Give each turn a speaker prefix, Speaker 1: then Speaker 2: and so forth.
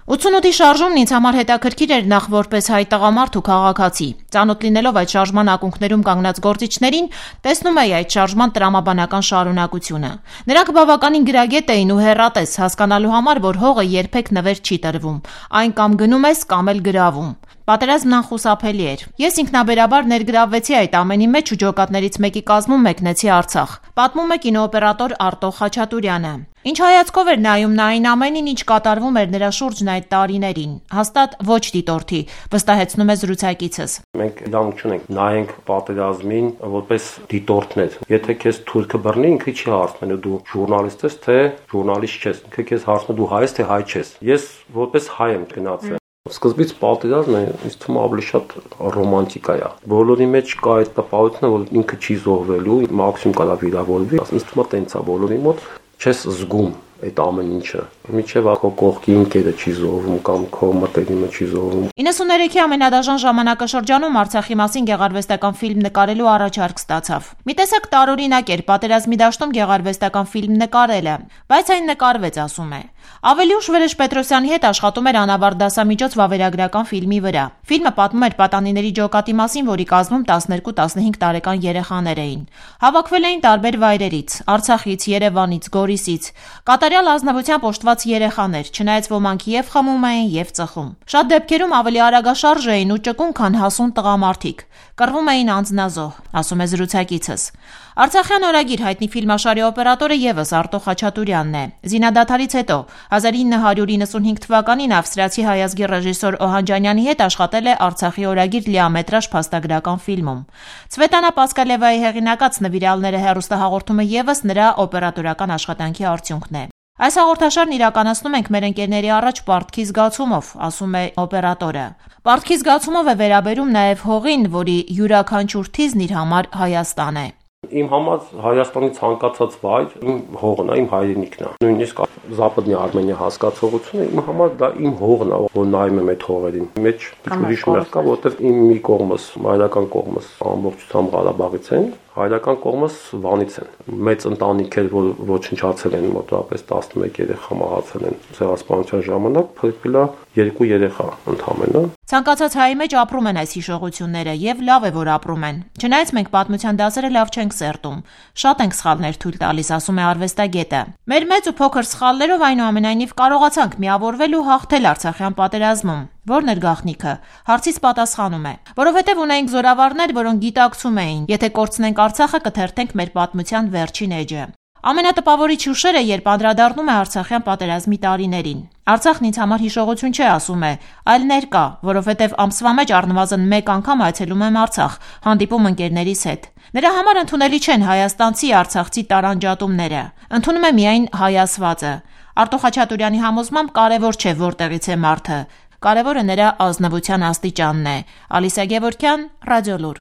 Speaker 1: 88-ի շարժումն ինձ համար հետաքրքիր էր նախ որպես հայ տղամարդ ու քաղաքացի։ Ծանոթ լինելով այդ շարժման ակունքներում կանգնած գործիչներին, տեսնում էի այդ շարժման տրամաբանական շարունակությունը։ Նրանք բավականին գրագետ էին ու հեռատես, հասկանալու համար, որ հողը երբեք նվեր չի տրվում, այն կամ գնում ես, կամ էլ գրավում։ Պատերազմն անխուսափելի էր։ Ես ինքնաբերաբար ներգրավվեցի այդ ամենի մեջ ու ջոկատներից մեկի կազմում մեկնեցի Արցախ։ Պատմում է կինոօպերատոր Արտո Խաչատուրյանը։ Ինչ հայացքով էր նայում նա այն ամենին, ինչ կատարվում էր նրա շուրջն այդ տարիներին։ Հաստատ ոչ դիտորդի, վստահեցնում է զրուցակիցս։
Speaker 2: Մենք լավ չունենք, նայենք պատերազմին որպես դիտորդներ։ Եթե քեզ թուրքը բռնի, ինքը չի հարցնելու դու ժուրնալիստ ես, թե ժուրնալիստ ես։ Ինքը քեզ հարցնում դու հայ ես, թե հայ չես։ Ես որպես հայ եմ գնացել։ Սկզբից պատերազմը ինձ թվում է ավելի շատ ռոմանտիկա է։ Բոլորի մեջ կա այդ տպավորությունը, որ ինքը չի զոհվելու, մաքսիմում կարա վիրավորվի։ Ինձ թվում է տենց է բոլորի մոտ, չես զգում այդ ամեն ինչը։ Միջև քո կողքի ընկերը չի զոհվում կամ քո մտերիմը չի զոհվում։
Speaker 1: 93-ի ամենադաժան ժամանակաշրջանում Արցախի մասին գեղարվեստական ֆիլմ նկարելու առաջարկ ստացավ։ Մի տեսակ տարօրինակ էր պատերազմի դաշտում գեղարվեստական ֆիլմ նկարելը, բայց այն նկարվեց, ասում է։ Ավելի ուշ Վրեժ Պետրոսյանի հետ աշխատում էր անավարտ դասամիջոց վավերագրական ֆիլմի վրա։ Ֆիլմը պատմում էր պատանիների ջոկատի մասին, որի կազմում 12-15 տարեկան երեխաներ էին։ Հավաքվել էին տարբեր վայրերից՝ Արցախից, Երևանից, Գորիսից։ Կատարյալ ազնվությամբ օժտված երեխաներ, չնայած ոմանք և խմում էին, և ծխում։ Շատ դեպքերում ավելի արագաշարժ էին ու ճկուն, քան հասուն տղամարդիկ։ Կռվում էին անձնազոհ, ասում է զրուցակիցս։ Արցախյան օրագիր հայտնի ֆիլմաշարի օպերատորը ևս Արտո Խաչատուրյանն է։ Զինադադարից հետո 1995 թվականին ավստրիացի հայազգի ռեժիսոր Օհանջանյանի հետ աշխատել է Արցախի օրագիր լիամետրաժ փաստագրական ֆիլմում։ Ցվետանա Պասկալևայի հեղինակած «Նվիրալները» հեռուստահաղորդումը ևս նրա օպերատորական աշխատանքի արդյունքն է։ Այս հաղորդաշարն իրականացնում ենք մեր ընկերների առաջ պարտքի զգացումով, ասում է օպերատորը։ Պարտքի զգացումով է վերաբերում նաև հողին, որի յուրաքանչյուր թիզն իր համար Հայաստան է։
Speaker 2: Իմ համար Հայաստանի ցանկացած վայր իմ հողն է, իմ հայրենիքն է։ Նույնիսկ Զապադնի Արմենիա հասկացողությունը իմ համար դա իմ հողն է, որ նայում եմ այդ հողերին։ Մեջ ուրիշ մեղ կա, որովհետև իմ մի կողմս, հայրական կողմս ամբողջությամբ Ղարաբաղից են, հայրական կողմս Վանից են։ Մեծ ընտանիք էր, որ ոչնչացել են, մոտավորապես 11 երեխա մահացել են ցեղասպանության ժամանակ, փրկվել է 2 երեխա ընդամենը։
Speaker 1: Ցանկացած հայի մեջ ապրում են այս հիշողությունները եւ լավ է, որ ապրում են։ Չնայած մենք պատմության դասերը լավ չենք սերտում, շատ ենք սխալներ թույլ տալիս, ասում է արվեստագետը։ Մեր մեծ ու փոքր սխալներով այնուամենայնիվ կարողացանք միավորվել ու հաղթել Արցախյան պատերազմում։ Որն էր գաղտնիքը։ Հարցից պատասխանում է. որովհետև ունեինք զորավարներ, որոնք գիտակցում էին, եթե կորցնենք Արցախը, կթերթենք մեր պատմության վերջին էջը։ Ամենատպավորիչ հուշերը, երբ անդրադառնում է Արցախյան պատերազմի տարիներին։ Արցախն ինձ համար հիշողություն չէ, ասում է, այլ ներկա, որովհետև ամսվա մեջ առնվազն 1 անգամ այցելում եմ Արցախ, հանդիպում ընկերներիս հետ։ Նրա համար ընդունելի չեն հայաստանցի արցախցի տարանջատումները։ Ընդունում է միայն հայասվածը։ Արտո Խաչատուրյանի համոզմամբ կարևոր չէ որտեղից է մարդը, կարևորը նրա ազնվության աստիճանն է։ Ալիսա Գևորգյան, Ռադիոլուր։